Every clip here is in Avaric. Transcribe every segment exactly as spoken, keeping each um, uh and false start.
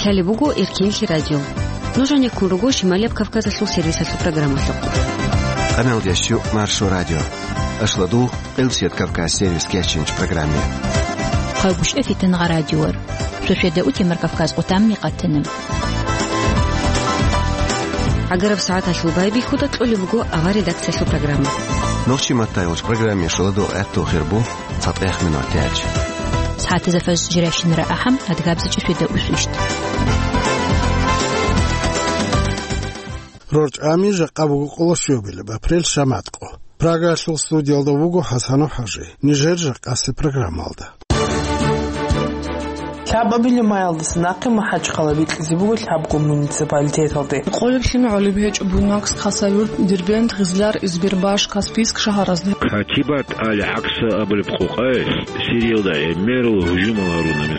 Лъалеб буго Эркенлъи радио. Нуж гьанеккун руго Шималияб Кавказалъул сервисалъул программалъухъ. Къаналдиясчу Маршо радио. Ашладул Элсият Кавказ сервис кечинч программе. Хъайбушев Фитангъа радиор. Шошеда утемар Кавказ къутамни къатана. Агараб сагӀаталъул байбихьуда кьолеб буго авар редакциялъул программа. Нохчи маттайолч программе шоладул гӀатту хирбу. ЦатӀех минут тяч. СагӀатазда фажр жиращинара ахӀам, адгабзичӀи шведа усвищт. РорчӀами жакъа буго къоло щобилеб апрель шаматкъо. Прагалъул студиялда вуго ХӀасанов ХӀажи. Нижер жакъасе программалда. Лъабабилеб майалдаса нахъе МахӀачхъала бикьизе буго лъабго муниципалитеталде. Къолеб лъимегӀолеб гьечӀо Буйнакск, Хасавюрт, Дербент, Гъизлар, Избербаш, Каспийск шагьаразда. Хатибат али ГӀакса абулеб къокъаялъ Сириялда гӀемерал гьужумал гьаруна.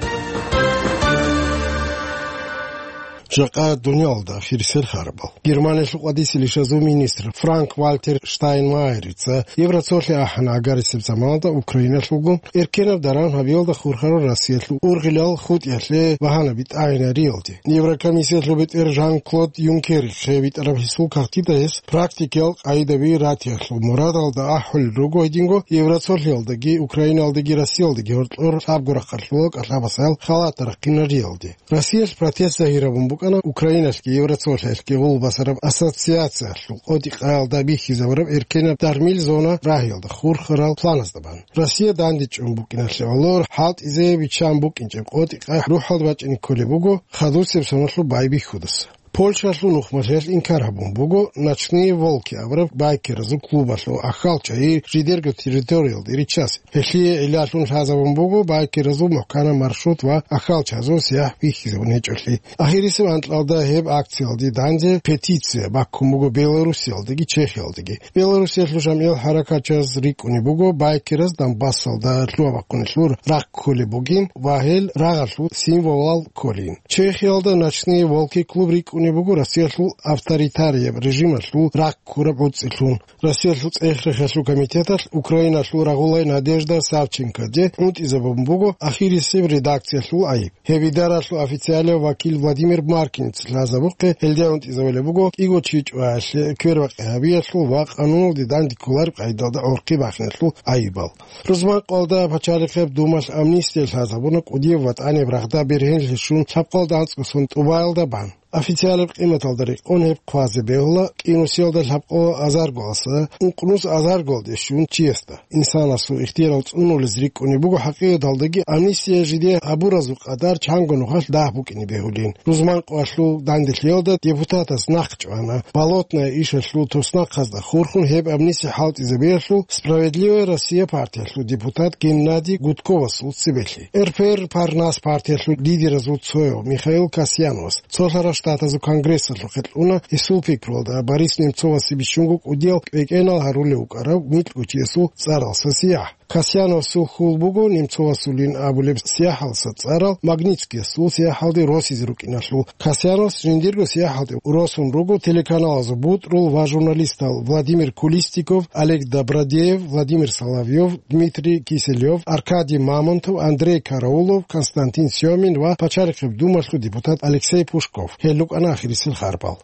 Жакъа дуниялалда ахирисел харабал. Германиялъул къватӀисел ишазул министр Франк-Вальтер Штайнмайерица Евроцолъи ахӀана агарисеб заманалда Украиналъулгун эркенаб даран гьабиялда хурхарал Россиялъул ургъилал хутӀиялъе багьана битӀайинариялде. Еврокомиссиялъул бетӀер Жан-Клод Юнкерихъе битӀараб гьесул кагътида гьес практикиял къагӀидаби ратиялъул мурадалда ахӀулел руго гьединго Евроцолъиялдаги, Украиналдаги, Россиялдаги гьоркьор лъабго рахъалъула кӀалъабасаял халатал рахъинариялде. Россиялъ протест загьирабун букӀана Украиналъги Евроцолъиялъги гъулбасараб ассоциациялъул къотӀи-къаялда бихьизабураб эркенаб дармил зона рагьиялда хурхарал планазда бан. Россия дандечӀун букӀиналъе гӀоло хӀалтӀизе биччан букӀинчӀеб къотӀи-къай рухӀалда бачӀине кколеб буго хадусеб соналъул байбихьудаса. Польшалъул нухмалъиялъ инкар гьабун буго «Ночные волки» абураб байкеразул клубалъул ахьалчагӀи жидерго территориялде риччасе. Гьелъие гӀиллалъун лъазабун буго байкеразул мухӀканаб маршрут ва ахьалчагӀазул сияхӀ бихьизабун гьечӀолъи. Ахирисеб анкьалда гьеб акциялде данде петиция баккун буго Белоруссиялдаги Чехиялдаги. Белоруссиялъул жамгӀиял хӀаракатчияз рикӀкӀунеб буго байкераз Донбассалда лъугьа-бахъуналъул рахъ кколеб бугин ва гьел рагъалъул символал кколин. Чехиялда «Ночные волки» клуб рикӀкӀунеб буго Россиялъул авторитарияб режималъул рахъ ккураб гӀуцӀилъун. Россиялъул цӀех-рехиялъул комитеталъ Украиналъул рагъулай Надежда Савченкоде гӀунтӀизабун буго ахирисеб редакциялъул гӀайиб. Гьеб идаралъул официалияв вакил Владимир Маркинец лъазабухъе гьелде гӀунтӀизабулеб буго кӀиго чи чӀваялъе квербакъи гьабиялъул ва къануналде данде кколареб къагӀидалда гӀорхъи бахиналъул гӀайибал. Рузманкъоялда Пачалихъеб Думалъ амнистия лъазабуна кӀудияб ва тӀанияб рагъда бергьенлъи щун лъабкъоялда анцӀго сон тӀубаялда бан. Официалаб къиматалда рекъон гьеб хъвазе бегьула кӀинусиялда лъабкъо азаргоялдаса ункънус азаргоялде щун чиясда. Инсанасул ихтиярал цӀунулез рикӀкӀунеб буго хӀакъикъаталдаги амнистия жиде гьабуразул къадар чанго нухалъ дагь букӀине бегьулин. Рузманкъоялъул данделъиялда депутатас нахъ чӀвана. Болотная ишалъул туснахъазда хурхун гьеб амнистия хӀалтӀизабиялъул «Справедливая Россия» партиялъул депутат Геннадий Гудковасул цебелъи. РПР «Парнас» партиялъул лидеразул цояв Михаил Касьяновас Цолъарал Штатазул Конгрессалъухъе кьуна гьесул пикруялда Борис Немцовасе бищунго кӀудиял кӀвекӀенал гьарулев вукӀарав микьгучиясул цӀаралса сияхӀ. Касьяновасул хьул буго Немцовасулин абулеб сияхӀалса цӀарал Магнитскиясул сияхӀалде росизе рукӀиналъул. Касьяновас жиндирго сияхӀалде росун руго телеканалазул бутӀрул ва журналистал Владимир Кулистиков, Олег Добродеев, Владимир Соловьев, Дмитрий Киселев, Аркадий Мамонтов, Андрей Караулов, Константин Сёмин ва Пачалихъеб Думалъул депутат Алексей Пушков. Гьел рукӀана ахирисел харбал.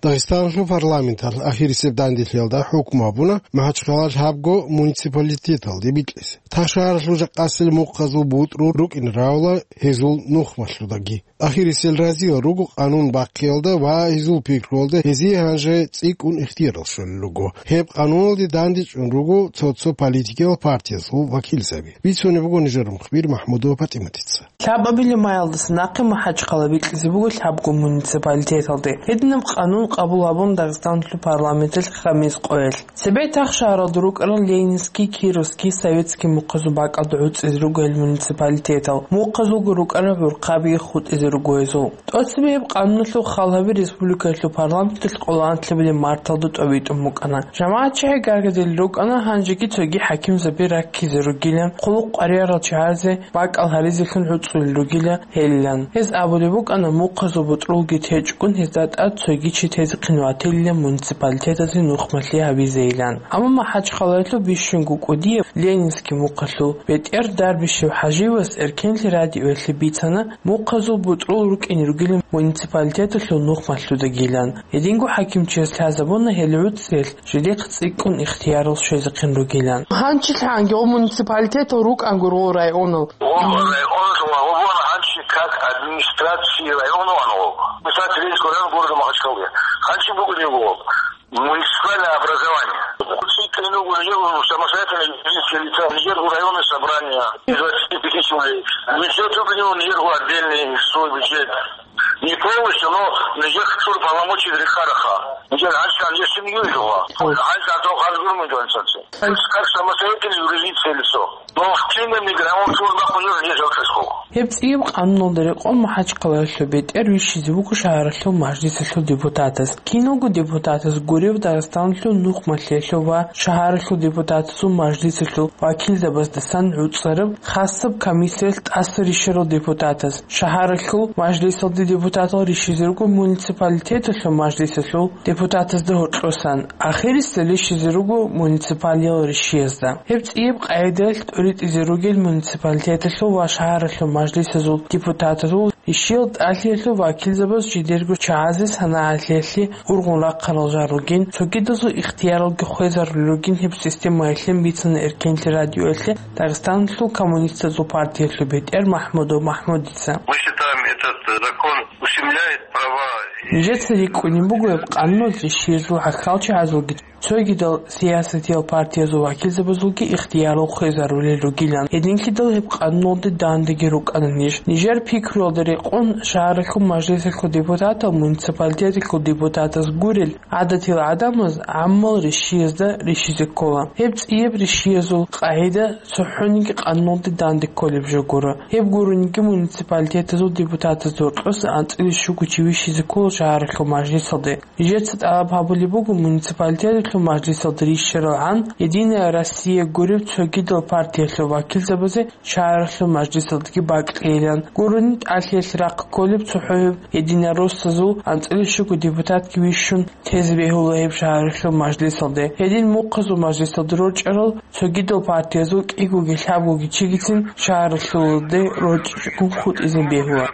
Дагъистаналъул парламенталъ ахирисеб данделъиялда хӀукму гьабуна МахӀачхъала лъабго муниципалитеталде бикьизе. Тахшагьаралъул жакъасел мухъазул бутӀрул рукӀин равла гьезул нухмалъудаги. Ахирисел разиял руго къанун бахъиялда ва гьезул пикруялда гьезие гьанже цӀикӀкӀун ихтиярал щолел руго. Гьеб къануналде дандечӀун руго цо-цо политикиял партиязул вакилзаби. Бицунеб буго нижер мухбир МахӀмудова ПатӀиматица. Лъабабилеб майалдаса нахъе МахӀачхъала бикьизе буго лъабго муниципалитеталде. Гьединаб къанун къабул гьабун Дагъистаналъул парламенталъ хамис къоялъ. Цебе Тахшагьаралда рукӀарал Ленинский, Кировский, Советский мухъазул бакӀалда гӀуцӀизе руго гьел муниципалитетал. Мухъазулго рукӀарал гӀурхъаби хутӀизе ругоязул. ТӀоцебе гьеб къануналъул хал гьаби республикаялъул парламенталъ къоло анлъабилеб марталда тӀобитӀун букӀана. ЖамагӀат чагӀи гаргадил рукӀана, гьанжеги цоги хӀакимзаби раккизе ругилан, хъулухъ къваригӀарал чагӀазе бакӀал гьаризелъун гӀуцӀулел ругила гьелилан. Гьез абулеб букӀана, мухъазул бутӀрулги течӀгун, гьезда тӀад цоги чи тезехъин ватилилан муниципалитеталъе нухмалъи гьабизейилан. Амма МахӀачхъалаялъул бищунго кӀудияб Ленинский мухъалъул бетӀер Дарбишев ХӀаживас Эркенлъи радиоялъе бицана, мухъазул бутӀрул рукӀине ругилан муниципалитеталъул нухмалъудагилан. Гьединго хӀакимчияс лъазабуна гьел гӀуцӀиялъ жидехъ цӀикӀкӀун ихтиярал щвезехъин ругилан. Гьанчилъанги гъо муниципалитетал рукӀанго гъо районал. Гъо районал ва гъо гьанчи как администрации района ан гъо. Мисал, Терентьевский район города Махачкалы. Гьанчи бугулего. Муниципальное образование. Цикл не угрожал самостоятельно юридические лица, Нижер районное собрание из двадцати пяти человек. Бюджет выполнил Нижер отдельный свой бюджет. Не полностью, но Нижер культура полномочий Рихараха. Нижер Альшан, я семью жила. Альшан, то Хазгурман Джонсон. Как самостоятельное юридическое лицо. Но в Киеве мигрантов служба хуже здесь, в Киеве. Гьеб цӀияб къануналда рекъон МахӀачхъалаялъул бетӀер вищизе вуго шагьаралъул мажлисалъул депутатас. Киналго депутатас гурев Дагъистаналъул нухмалъиялъул ва шагьаралъул депутатазул мажлисалъул вакилзабаздасан гӀуцӀараб хасаб комиссиялъ тӀаса рищарал депутатас. Шагьаралъул мажлисалде депутатал рищизе руго муниципалитеталъул мажлисалъул депутатазда гьоркьосан. Ахирисда рищизе руго муниципалиял рищиязда. Гьеб цӀияб къагӀидаялъ тӀоритӀизе ругел муниципалитеталъул ва шагьаралъул мажлисазул депутатазул рищиял тӀалъиялъул вакилзабаз жидерго чагӀазе санагӀалъиялъе ургъун рахъарал жал ругин, цогидазул ихтияралги хвезарулел ругин гьеб системаялъе бицана Эркенлъи радиоялъе Дагъистаналъул коммунистазул партиялъул бетӀер Махмудов Махмудица. Мы считаем этот закон ущемляет права. Нижеца рикӀкӀунеб буго гьеб къануналъ рищиязул гӀахьалчагӀазулги цогидал сиясатиял партиязул вакилзабазулги ихтиярал хвезарулел ругилан. Гьединлъидал гьеб къануналде дандаги рукӀана ниж. Нижер пикруялда рекъон шагьаралъул мажлисалъул депутатал муниципалитеталъул депутатаз гурел гӀадатил гӀадамаз гӀаммал рищиязда рищизе ккола. Гьеб цӀияб рищиязул къагӀида цохӀониги къануналде данде кколеб жо гуро. Гьеб гурониги муниципалитетазул депутатазда гьоркьоса анцӀила щуго чи вищизе ккола шагьаралъул мажлисалде. Нижеца тӀалаб гьабулеб буго муниципалитеталъул мажлисалда рищаралгӀан Единая Россия гуреб цогидал партиялъул вакилзабазе шагьаралъул мажлисалдаги бакьейилан. Гурони тӀалъиялъе рахъ кколеб цохӀо гьеб единороссазул анцӀила щуго депутатги вищун тезе бегьула гьеб шагьаралъул мажлисалде. Гьедин мухъазул мажлисалда рорчӀарал цогидал партиязул кӀигоги лъабгоги чигицин шагьаралъулде рорчӀичӀого хутӀизе бегьула.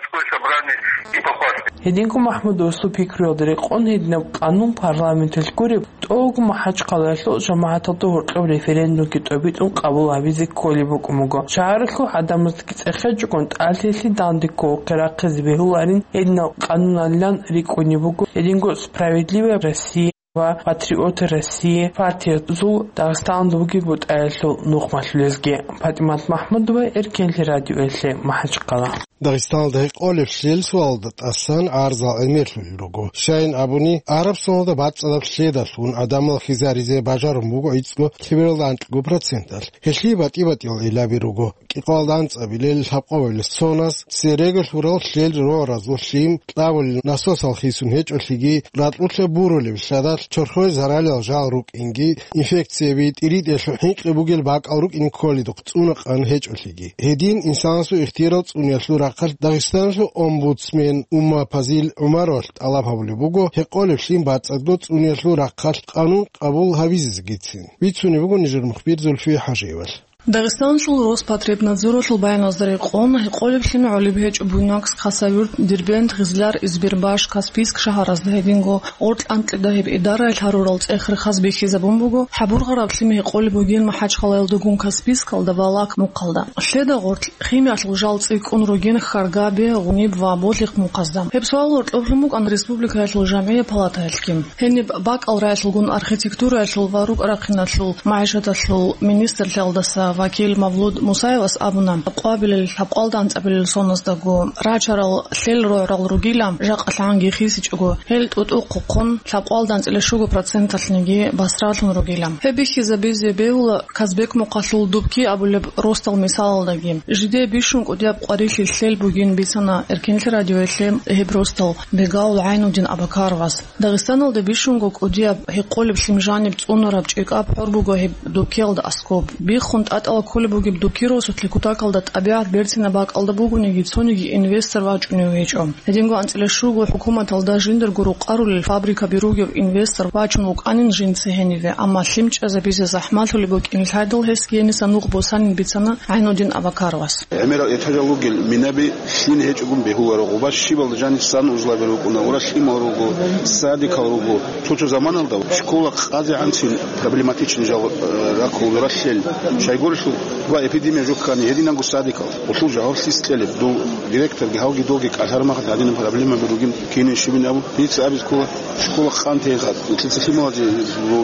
Гьединго Махмудовасул пикруялда рекъон гьединаб къанун парламенталъ гуреб, тӀогу МахӀачхъалаялъул жамагӀаталда гьоркьоб референдумги тӀобитӀун къабул гьабизе кколеб букӀун буго. Шагьаралъул гӀадамаздаги цӀехечӀогон тӀалъиялъе данде кколухъе рахъизе бегьуларин гьединал къануналилан рикӀкӀунеб буго гьединго Справедливая Россия ва Патриоты России партиязул Дагъистаналда бугеб бутӀаялъул нухмалъулезги. ПатӀимат Махмудова, Эркенлъи радиоялъе, МахӀачхъала. Дагъистаналда гьекъолеб лъел суалда тӀасан гӀарзал гӀемерлъулел руго. Щайин абуни, Арабсаналда бацӀцӀадаб лъедалъун гӀадамал хизаризе бажарун буго гӀицӀго лъебералда анкьго проценталъ. Гьелъие батӀи-батӀиял гӀиллаби руго. КӀикъоялда анцӀабилел лъабкъоялда соназ цереги лъурал лъел роразул лъим кьабулел насосал хисун гьечӀолъиги, ракьулъа бурулеб лъадалъ чорхое заралил жал рукӀинги, инфекцияби, тӀиритӀелъул хӀинкъи бугел бакӀал рукӀин кколидухъ цӀунакъан гьечӀолъиги. Гьедин инсанасул ихтиярал цӀуниялъул рахъалъ Дагъистаналъул омбудсмен Умма Пазил ГӀумаровалъ тӀалаб гьабулеб буго гьекъолеб лъим бацӀцӀадго цӀуниялъул рахъалъ къанун къабул гьабизезегицин. Бицунеб буго нижер мухбир Зульфия ХӀажиевалъ. Дагъистаналъул Роспотребнадзоралъул баяназда рекъон, гьекъолеб лъим гӀолеб гьечӀо Буйнакск, Хасавюрт, Дербент, Гъизлар, Избербаш, Каспийск шагьаразда, гьединго Орт-ЛъантӀида гьеб идараялъ гьарурал цӀех-рехаз бихьизабун буго, хӀабургъараб лъим гьекъолеб бугин МахӀачхъалаялдагун Каспийскалда ва Лак мухъалда. Лъеда гъоркь химиялъул жал цӀикӀкӀун ругин Харгабе, Гъуниб ва Болих мухъазда. Гьеб суал гьоркьоблъун букӀан республикаялъул жамгӀия палатаялъги. Гьениб бакӀал раялъулгун архитектураялъул ва рукӀа-рахъиналъул, магӀишаталъул министрлъиялдаса Вакил Мавлуд Мусаевас абуна, къвабилел лъабкъвалда анцӀабилел соназдаго рачарал лъел рогӀрал ругила, жакъа лъанги хисичӀого, гьел тӀутӀухъ хъун лъабкъвалда анцӀила щуго проценталъниги басралъун ругила. Гьеб бихьизабизе бегьула Казбек мухъалъул Дубки абулеб росдал мисалалдаги. Жидее бищун кӀудияб къварилъи лъел бугин бицана Эркенлъи радиоялъе гьеб росдал бегавул ГӀайнудин Абакаровас. Дагъистаналда бищунго кӀудияб гьекъолеб лъим жаниб цӀунараб чӀикӀаб хӀор буго гьеб Дубкиялда аскӀоб. Биххун тӀатӀала кколеб бугеб Дубки росулъе кутакалда тӀабигӀат берцинаб бакӀалда бугониги, цониги инвестор вачӀунев гьечӀо. Гьединго анцӀила щуго хӀукуматалда жиндарго рукъарулел фабрикаби ругев инвестор вачун вукӀанин жинца гьениве, амма лъим чӀезабизе захӀмалъулеб букӀин лъайдал гьесги гьениса нух босанин бицана ГӀайнудин Абакаровас. ГӀемерал этажал ругел минаби лъим гьечӀогун бегьуларо, гъуба щибалда жанисан узлаби рукӀуна, ура лъимал руго, садикал руго. Цо-цо заманалда школа къазегӀанцин проблематичный жал, э, раккул ралъел. Щайгурелъул ва эпидемия жуккани гьединанго садикал. Улъул жаваблъи кьелеб, дов директорги гьавги довги кӀалъармахъ гьадинаб проблемаби ругин кинин щибин абун, дица абиз ккола, школа къантейха, нилъеца лъималазе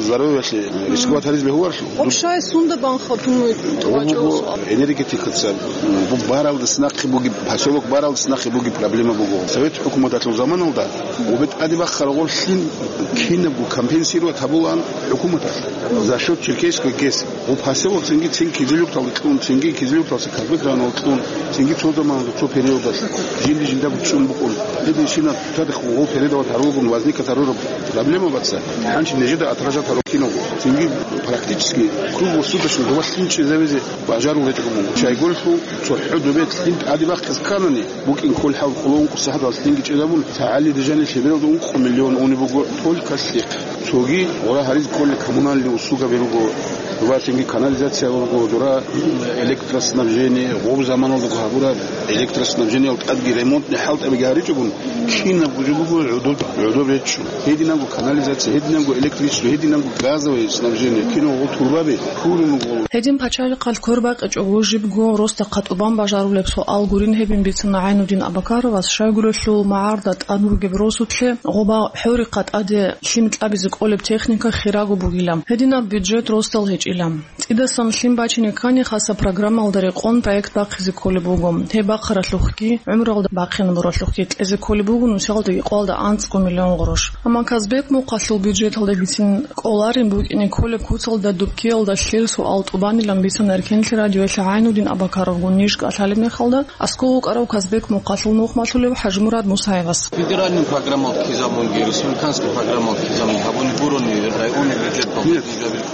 здоровьялъе рисковать гьариз бегьуларо. Общая сунда банха тумуй Гъо буго вачӀо. Энергетикаца, м, бу-, баралдас нахъе бугеб, поселок баралдас нахъе бугеб проблема буго. Совет хӀукуматалъул заманалда гъубе тӀаде бахъараб гъорлъин кинабго компенсировать гьабулаан хӀукуматалъ за счёт Черкесской ГЭС. Гъуб поселок цинги цин Кизилюрталда кьун, цинги Кизилюрталса Казбек районалда кьун, цинги цо заманалда цо периодалъ жинди жинда бучӀун букӀун. Гьединщинаб цадахъ гъол передавать гьарулгун возникать гьарураб проблема баца, гьанчи нижеда отражать гьаруккинаго. Цинги практически круглосуточно доба лъим чӀезавизе бажарул гьечӀого мун. Чайгурелъул цохӀо добе лъим тӀаде бахъиз кканани, букӀин кколеб хӀал къуло ункъо сахӀаталъ лъимги чӀезабун, цо гӀалиде жаниб лъебералда ункъо миллион унеб буго только лъихъ. Цоги гъора гьариз кколел коммунальный услугаби руго, доба лъимги канализация руго, дора электроснабжение, гъоб заманалдаго гьабураб электроснабжениялда тӀадги ремонтный хӀалтӀабиги гьаричӀогун, кинабго жо буго гӀодоб, гӀодоб речӀчӀун. Гьединанго канализация, гьединанго электричество, гьединанго газовое снабжение, кинабго турбаби, пурун гъоло. Гьедин пачалихъалъ квербакъичӀого жибго росдахъа тӀубан бажарулеб суал гурин гьебин бицана ГӀайнудин Абакаровас, щайгурелъул магӀарда тӀад бугеб росулъе гъоба хӀорихъа тӀаде лъим кьабизе кӀолеб техника хираго бугила. Гьединаб бюджет росдал гьечӀила. ЦӀидасан лъим бачине ккани хасаб программалда рекъон проект бахъизе кколеб буго. Гьеб бахъаралъухъги, гӀумралда бахъинабуралъухъги кьезе кколеб буго нусиялда гьикъуялда анцӀго миллион гъурущ. Амма Казбек мухъалъул бюджеталдагицин кӀоларин букӀине кколеб куцалда Дубкиялда лъел суал тӀубанилан бицана Эркенлъи радиоялъе ГӀайнудин Абакаровгун ниж кӀалъалеб мехалда, аскӀов вукӀарав Казбек мухъалъул нухмалъулев ХӀажимурад Мусаевас. Федеральный программалъ ккезабунги, республиканский программалъ ккезабунги гьабуни гурони районный бюджеталъ Нет.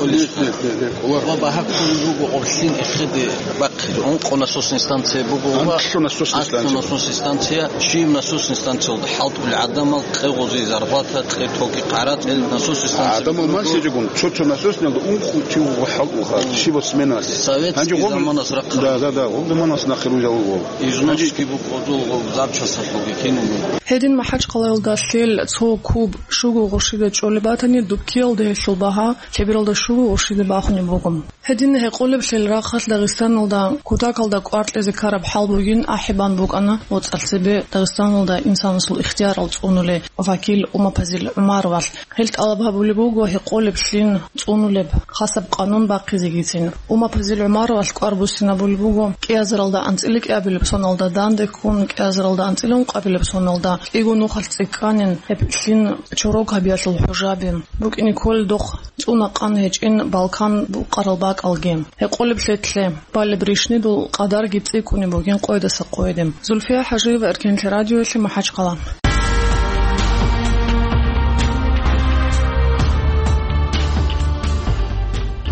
Нет, нет, нет, нет, Олар. Ва багьа кколел руго гъорлъин эхеде бахъизе. Ункъо насосный станция буго ва Анкьлъу насосный анкьлъу станция. Насосный станция, щиб насосный станциялда хӀалтӀулел гӀадамал кье гъози зарплата, кье тоги къарацӀел насосный станция ГӀадамал буго. Ман сиджигун, цо-цо насосниялда ункъо тив ва хӀалтӀулха, щибаб сменалъе. Советский Гьанже гъоб-, заманас рахъа. Да, да, да, гъоб заманас нахъе рузал гъоб. Гьанже Износский букӀодул гъоб запчасалъулги кинуго. Гьедин МахӀачхъалаялда лъел цо куб щуго гъурщида чӀолеб батани, Дубкиялда гьелъул багьа лъебералда щуго гъурщида бахунеб буго. Гьедин гьекъолеблъил рахъалъ Дагъистаналда кутакалда кӀвар кьезе ккараб хӀал бугин ахӀи бан букӀана моцӀалъ цебе Дагъистаналда инсанасул ихтиярал цӀунулев вакил Умапазил ГӀумаровалъ. Гьел тӀалаб гьабулеб буго гьекъолеблъин цӀунулеб хасаб къанун бахъизегицин. Умапазил ГӀумаровалъ кӀвар буссинабулеб буго кӀиазаралда анцӀила кӀиабилеб соналда данде ккун, кӀиазаралда анцӀила ункъабилеб соналда кӀиго нухалъ цӀикӀкӀанин гьеб лъим чорог гьабиялъул хӀужаби. БукӀине кколел дохъ цӀуна къан гьечӀин Балкан букъарал бакӀалги. Гьекъолеб лъетлъе, балеб рищнидул къадарги цӀикӀкӀунеб бугин къойдаса къойде. Зульфия ХӀажиева, Эркенлъи радиоялъе, МахӀачхъала.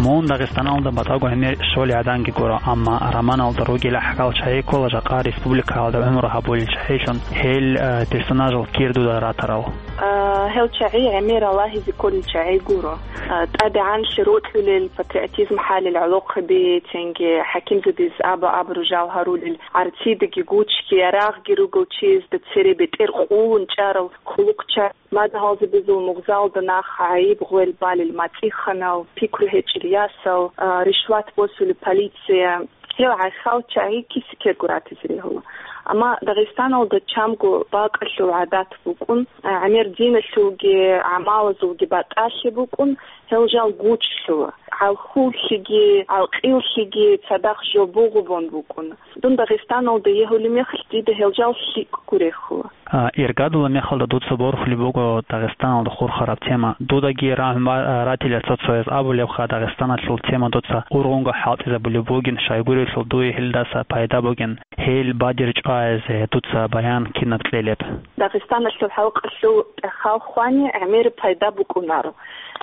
Мун Дагъистаналда батӀаго гӀемер щолей гӀаданги гуро, амма романалда ругел гӀахьал чагӀи ккола жакъа республикаялда гӀумру гьабулел чагӀилъун, гьел, э, персонажал кир дуда ратарал. А, гьел чагӀи гӀемер рагӀизе кколел чагӀи гуро. А, тӀадегӀанлъи рокьулел, патриотизм хӀалил гӀолохъаби, цинги хӀакимзабиз абу-абру жал гьарулел, гӀарцидеги гучги, ярагъги ругел чиясда цере бетӀер къулун чӀарал хъулухъчагӀи, мадугьалзабазул мугъзалда нах гӀайиб гъвел балел мацӀиханал, пикру гьечӀел ясал, а, ришват босулеб полиция, гьел гӀахьал чагӀи киса-ккего ратизе регьула. Амма Дагъистаналда чамго бакӀалъул гӀадат букӀун, гӀемер диналъулги гӀамалазулги батӀалъи букӀун, гьел жал гучлъула. ГӀалхуллъиги, гӀалкъиллъиги цадахъ жо бугъубун букӀун. Дун Дагъистаналда егьулеб мехалъ дида гьел жал лъикӀго рехула. А, иргадулаб мехалда дуца борхулеб буго Дагъистаналда хурхараб тема. Дудаги рагьун ба-, ратила цо-цояз абулебха, Дагъистаналъул тема дуца ургъунго хӀалтӀизабулеб бугин, щайгурелъул дуе гьелдаса пайда бугин, гьел бадир чӀвазе дуца баян кинаб кьелеб. Дагъистаналъул халкъалъул тӀахьал хвани гӀемер пайда букӀунаро.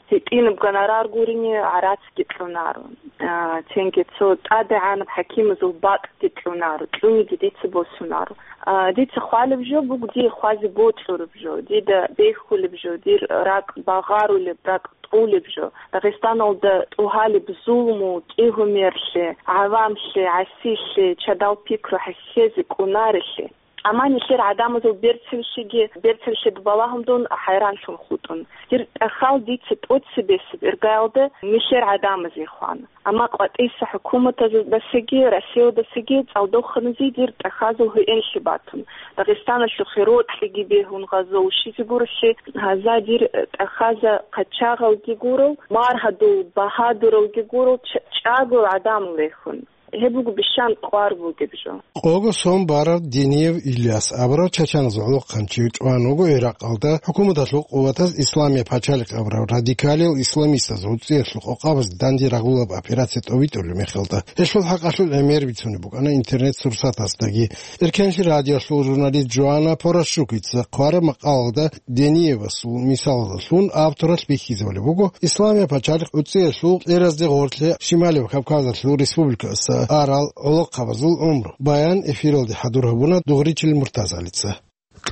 ГьитӀинаб гонорар гурине гӀарацги кьунаро. А, цинги цо тӀадегӀанаб хӀакимазул бакӀги кьунаро, кьуниги дица босунаро. А, дица хвалеб жо буго дие хвазе бокьураб жо, дида бехьулеб жо, дир ракӀ багъарулеб, ракӀ тӀулеб жо. Дагъистаналда тӀугьалеб зулму, кӀигьумерлъи, гӀавамлъи, гӀасилъи, чадал пикру хӀехьезе кӀунарелъи. Амма нилъер гӀадамазул берцинлъиги, берцинлъида балагьун дун хӀайранлъун хутӀун. Дир тӀахьал дица тӀоцебесеб иргаялда нилъер гӀадамазе хвана. Амма къватӀиса хӀукуматаздасаги, Россиядасаги цӀалдоханазе дир тӀахьазул гьуинлъи батун. Дагъистаналъухъе рокьиги бегьун гъазо ушизе гурелъи, гьаза дир тӀахьаза къачагъалги гурел, маргьадул багьадуралги гурел, ч-, чӀагоял гӀадамал рехун. Гьеб буго бищан кӀвар бугеб жо. Къого сон барав Дениев Ильяс абурав чачаназул гӀолохъанчи чӀван вуго Иракъалда хӀукуматалъул къуватаз Исламия пачалихъ абурав радикалиял исламистаз гӀуцӀиялъул къокъабаз данде рагъулаб операция тӀовитӀулеб мехалда. Гьелъул хӀакъалъулъ гӀемер бицунеб букӀана интернет-сурсатасдаги. Эркенлъи радиолъул журналист Жоанна Порощукица хъвараб макъалалда Дениевасул мисалалдалъун авторалъ бихьизабулеб буго Исламия пачалихъ гӀуцӀиялъул кьеразде гъорлъе Шималияб Кавказалъул республикаялдаса арал гӀолохъабазул гӀумру. Баян эфиралде хӀадур гьабуна Дугъричил Муртазалица.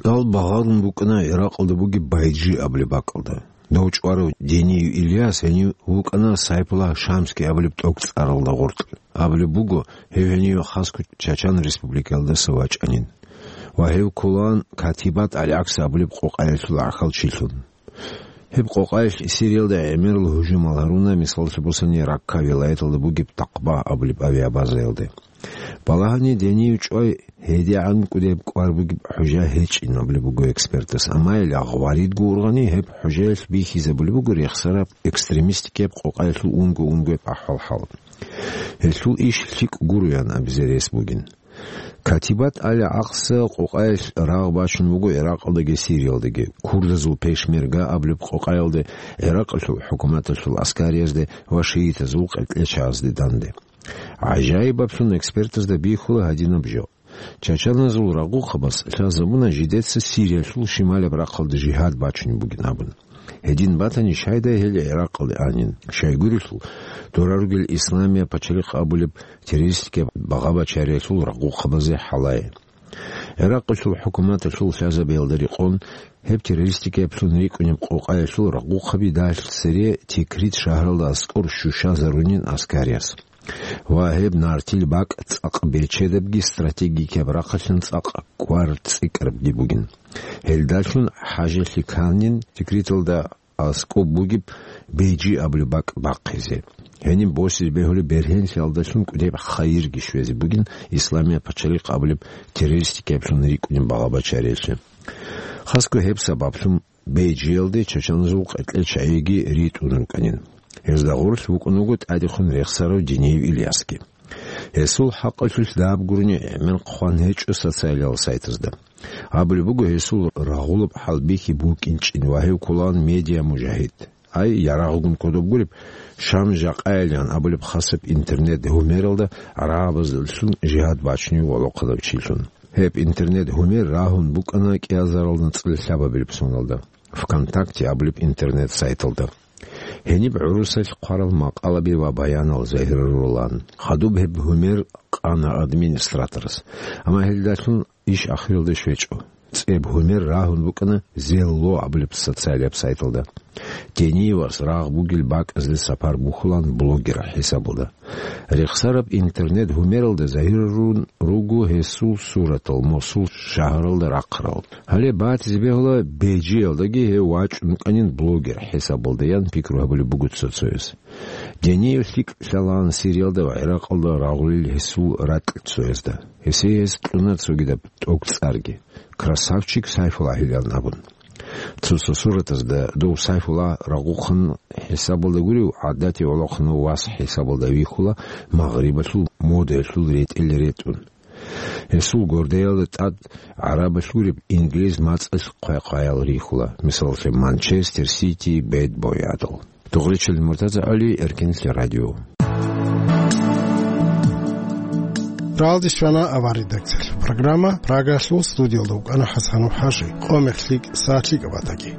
Кьал багъарун букӀана Иракъалда бугеб Байджи абулеб бакӀалда. Дов чӀварав Дениев Ильяс гьенив вукӀана Сайпула Шамский абулеб тӀокӀцӀаралда гъоркь. Абулеб буго, гьев гьенив хасго Чачан республикаялдаса вачӀанин. Ва гьев кколаан Катибат аль-ГӀакс абулеб къокъаялъул гӀахьалчилъун. Гьеб къокъаялъ Сириялда гӀемерал гьужумал гьаруна, мисаллъи босани, Ракка вилаяталда бугеб Такъба абулеб авиабазаялде. Балагьани Дениев чӀвай гьедигӀан кӀудеб кӀвар бугеб хӀужа гьечӀин абулеб буго экспертас, амма гьел агъваридго ургъани гьеб хӀужаялъ бихьизабулеб буго рехсараб экстремистикияб къокъаялъул унго-унгояб ахӀвал-хӀал. Гьелъул иш лъикӀ гуроян абизе рес бугин. Катибат аль-ГӀакса къокъаялъ рагъ бачун буго Иракъалдаги Сириялдаги. Курдазул пешмерга абулеб къокъаялде, Иракъалъул хӀукуматалъул аскариязде ва шиитазул къеркьечагӀазде данде. ГӀажаибаблъун экспертазда бихьула гьадинаб жо. Чачаназул рагъухъабаз лъазабуна жидеца Сириялъул шималаб рахъалда жигьад бачунеб бугин абун. Гьедин батани, щайдай гьел Иракъалде анин. Щайгурелъул, дора ругел Исламия пачалихъ абулеб террористикаб багъа-бачариялъул рагъухъабазе хӀалае. Иракъалъул хӀукуматалъул лъазабиялда рекъон, гьеб террористикаблъун рикӀкӀунеб къокъаялъул рагъухъаби дагьлъ цере Тикрит шагьаралда аскӀор щущазарунин аскариялъ. Ва гьеб нартил бакӀ цӀакъ бечедабги стратегикаб рахъалъан цӀакъ кӀвар цӀикӀкӀарабги бугин. Гьелдалъун хӀажалъи кканин Тикриталда аскӀоб бугеб Бейджи абулеб бакӀ бахъизе. Гьениб босизе бегьулеб бергьенлъиялдалъун кӀудеб хайирги щвезе бугин Исламия пачалихъ абулеб террористикаблъун рикӀкӀунеб багъа-бачариялъе. Хасго гьеб сабаблъун Бейджиялде чачаназул къеркьел чагӀиги ритӀун рукӀанин. Гьезда гъорлъ вукӀун вуго тӀадехун рехсарав Дениев Ильясги. Гьесул хӀакъалъулъ даб гурони гӀемер хъван гьечӀо социалиял сайтазда. Абулеб буго, гьесул рагъулаб хӀалбихьи букӀинчӀин ва гьев кколаан медиа-мужагьид. Ай, ярагъгун кодоб гуреб, Шам жакъайилан абулеб хасаб интернет-гьумералда гӀарабаздалъун жигьад бачунев гӀолохъанав чилъун. Гьеб интернет-гьумер рагьун букӀана кӀиазарал нацӀил лъабабилеб соналда, ВКонтакте абулеб интернет-сайталда. Гьениб гӀурусалъ хъварал макъалаби ва баянал загьирарулан. Хадуб гьеб гьумер къана администраторас. Амма гьелдалъун иш ахиралде щвечӀо. ЦӀеб гьумер рагьун букӀана Зелло абулеб социалияб сайталда. Дениевас рагъ бугел бакӀазде сапар бухьулаан блогер хӀисабалда. Рехсараб интернет-гьумералда загьирарун руго гьесул суратал, Мосул шагьаралда рахъарал. Гьале батизе бегьула, Бейджиялдаги гьев вачӀун вукӀанин блогер хӀисабалда, ян пикру гьабулеб буго цо-цояс. Дениев лъикӀ лъалаан Сириялда ва ГӀиракъалда рагъулел гьесул ракьцоязда. Гьесие гьес кьуна цогидаб тӀокӀцӀарги, «Красавчик Сайфул» ахӀилан абун. Цо-цо суратазда дов Сайфулла рагъухъан хӀисабалда гурев, гӀадатив гӀолохъанав вас хӀисабалда вихьула, магърибалъул модаялъул ретӀел ретӀун. Гьесул гордаялда тӀад гӀарабалъ гуреб инглиз мацӀалъ хъвай-хъваял рихьула, мисалалъе, Манчестер Сити, Бэд Бой гӀадал. Дугъричил Муртаза ГӀали, Эркенлъи радио. Ралдис вана авар редакциялъ программа, Прагалъул студиялда вукӀана ХӀасанов ХӀажи, къо мехлъи сагӀат лъикӀаб батаги.